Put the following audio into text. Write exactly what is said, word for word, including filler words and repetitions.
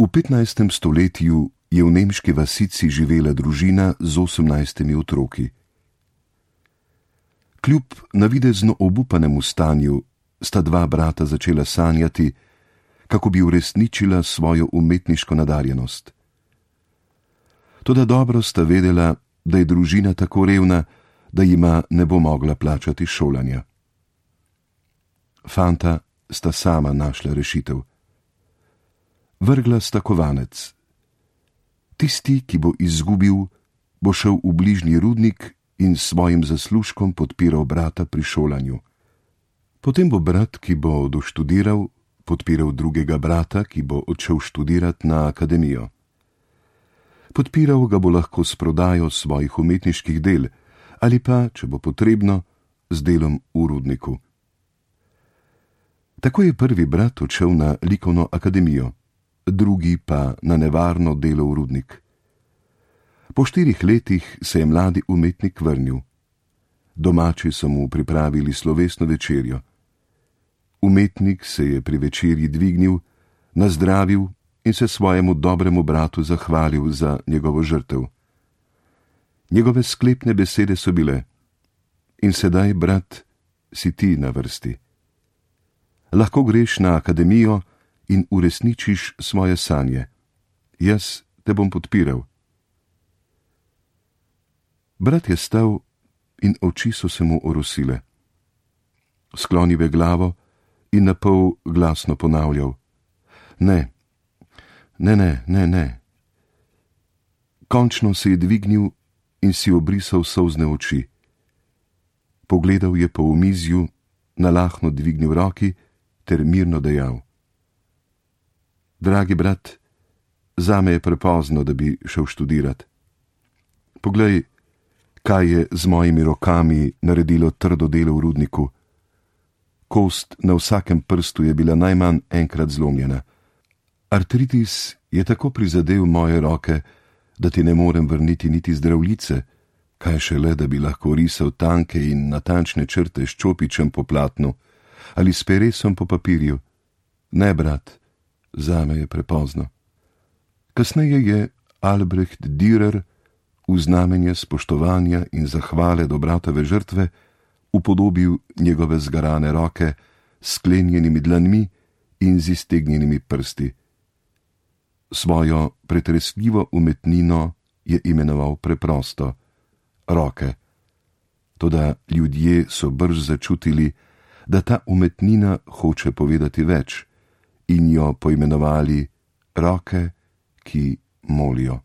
V petnajstem stoletju je v nemški vasici živela družina z osemnajstimi otroki. Kljub navidezno obupanemu stanju sta dva brata začela sanjati, kako bi uresničila svojo umetniško nadarjenost. Toda dobro sta vedela, da je družina tako revna, da jima ne bo mogla plačati šolanja. Fanta sta sama našla rešitev. Vrgla sta kovanec. Tisti, ki bo izgubil, bo šel v bližnji rudnik in s svojim zaslužkom podpiral brata pri šolanju. Potem bo brat, ki bo doštudiral, podpiral drugega brata, ki bo odšel študirat na akademijo. Podpiral ga bo lahko s prodajo svojih umetniških del ali pa, če bo potrebno, z delom v rudniku. Tako je prvi brat odšel na likovno akademijo, drugi pa na nevarno delo v rudnik. Po štirih letih se je mladi umetnik vrnil. Domači so mu pripravili slovesno večerjo. Umetnik se je pri večerji dvignil, nazdravil in se svojemu dobremu bratu zahvalil za njegovo žrtev. Njegove sklepne besede so bile: in sedaj, brat, si ti na vrsti. Lahko greš na akademijo in uresničiš svoje sanje. Jaz te bom podpiral. Brat je stal in oči so se mu orosile. Sklonil je glavo in napol glasno ponavljal: Ne, ne, ne, ne, ne. Končno se je dvignil in si obrisal solzne oči. Pogledal je po omizju, nalahno dvignil roki ter mirno dejal: Dragi brat, zame je prepozno, da bi šel študirat. Poglej, kaj je z mojimi rokami naredilo trdo delo v rudniku. Kost na vsakem prstu je bila najmanj enkrat zlomljena. Artritis je tako prizadel moje roke, da ti ne morem vrniti niti zdravljice, kaj šele, da bi lahko risal tanke in natančne črte s čopičem po platnu ali s peresom po papirju. Ne, brat, zame je prepozno. Kasneje je Albrecht Dürer v znamenje spoštovanja in zahvale do bratove žrtve upodobil njegove zgarane roke s sklenjenimi dlanmi in z iztegnjenimi prsti. Svojo pretresljivo umetnino je imenoval preprosto roke. Toda ljudje so brž začutili, da ta umetnina hoče povedati več, in jo poimenovali roke, ki molijo.